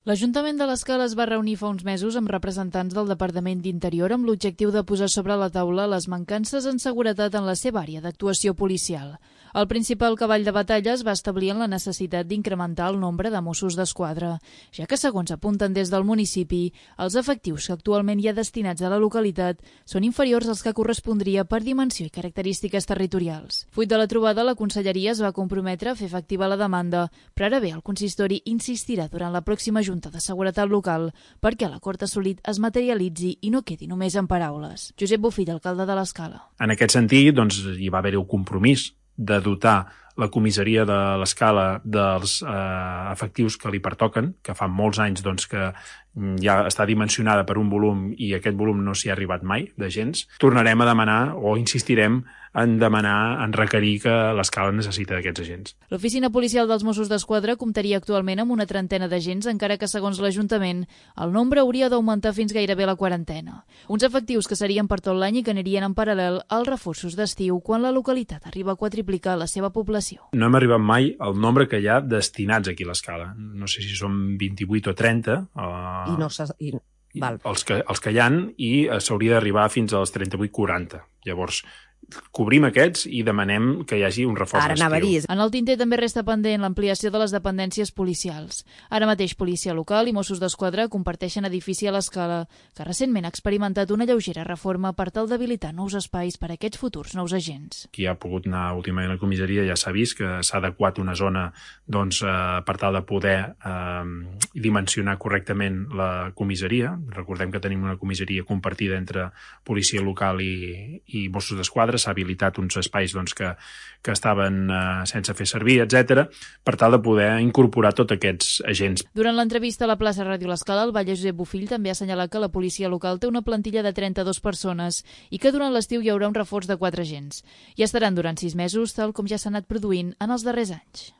L'Ajuntament de l'Escala es va reunir fa uns mesos amb representants del Departament d'Interior amb l'objectiu de posar sobre la taula les mancances en seguretat en la seva àrea d'actuació policial. El principal cavall de batalla es va establir en la necessitat d'incrementar el nombre de Mossos d'Esquadra, ja que, segons apunten des del municipi, els efectius que actualment hi ha destinats a la localitat són inferiors als que correspondria per dimensió i característiques territorials. Fruit de la trobada, la Conselleria es va comprometre a fer efectiva la demanda, però ara bé, el consistori insistirà durant la pròxima Junta de Seguretat Local perquè l'acord assolit es materialitzi i no quedi només en paraules. Josep Bofill, alcalde de l'Escala. En aquest sentit, hi va haver el compromís de dotar la comissaria de l'Escala dels efectius que li pertoquen, que fa molts anys que ja està dimensionada per un volum i aquest volum no s'hi ha arribat mai d'agents. Tornarem a demanar o insistirem en requerir que l'Escala necessita d'aquests agents. L'Oficina Policial dels Mossos d'Esquadra comptaria actualment amb una trentena d'agents, encara que, segons l'Ajuntament, el nombre hauria d'augmentar fins gairebé la quarantena. Uns efectius que serien per tot l'any i que anirien en paral·lel als reforços d'estiu quan la localitat arriba a quadriplicar la seva població. No hem arribat mai al nombre que hi ha destinats aquí a l'Escala. No sé si són 28 o 30. Els que hi ha, i s'hauria d'arribar fins als 38-40. Llavors, cobrim aquests i demanem que hi hagi un reforç d'estiu. En el tinter també resta pendent l'ampliació de les dependències policials. Ara mateix Policia Local i Mossos d'Esquadra comparteixen edifici a l'Escala, que recentment ha experimentat una lleugera reforma per tal d'habilitar nous espais per a aquests futurs nous agents. Qui ha pogut anar últimament a la comissaria ja s'ha vist que s'ha adequat una zona per tal de poder dimensionar correctament la comissaria. Recordem que tenim una comissaria compartida entre Policia Local i Mossos d'Esquadra. S'ha habilitat uns espais que estaven sense fer servir, etc., per tal de poder incorporar tots aquests agents. Durant l'entrevista a la plaça Ràdio l'Escala, el batlle Josep Bofill també ha assenyalat que la policia local té una plantilla de 32 persones i que durant l'estiu hi haurà un reforç de 4 agents. I estaran durant 6 mesos, tal com ja s'ha anat produint en els darrers anys.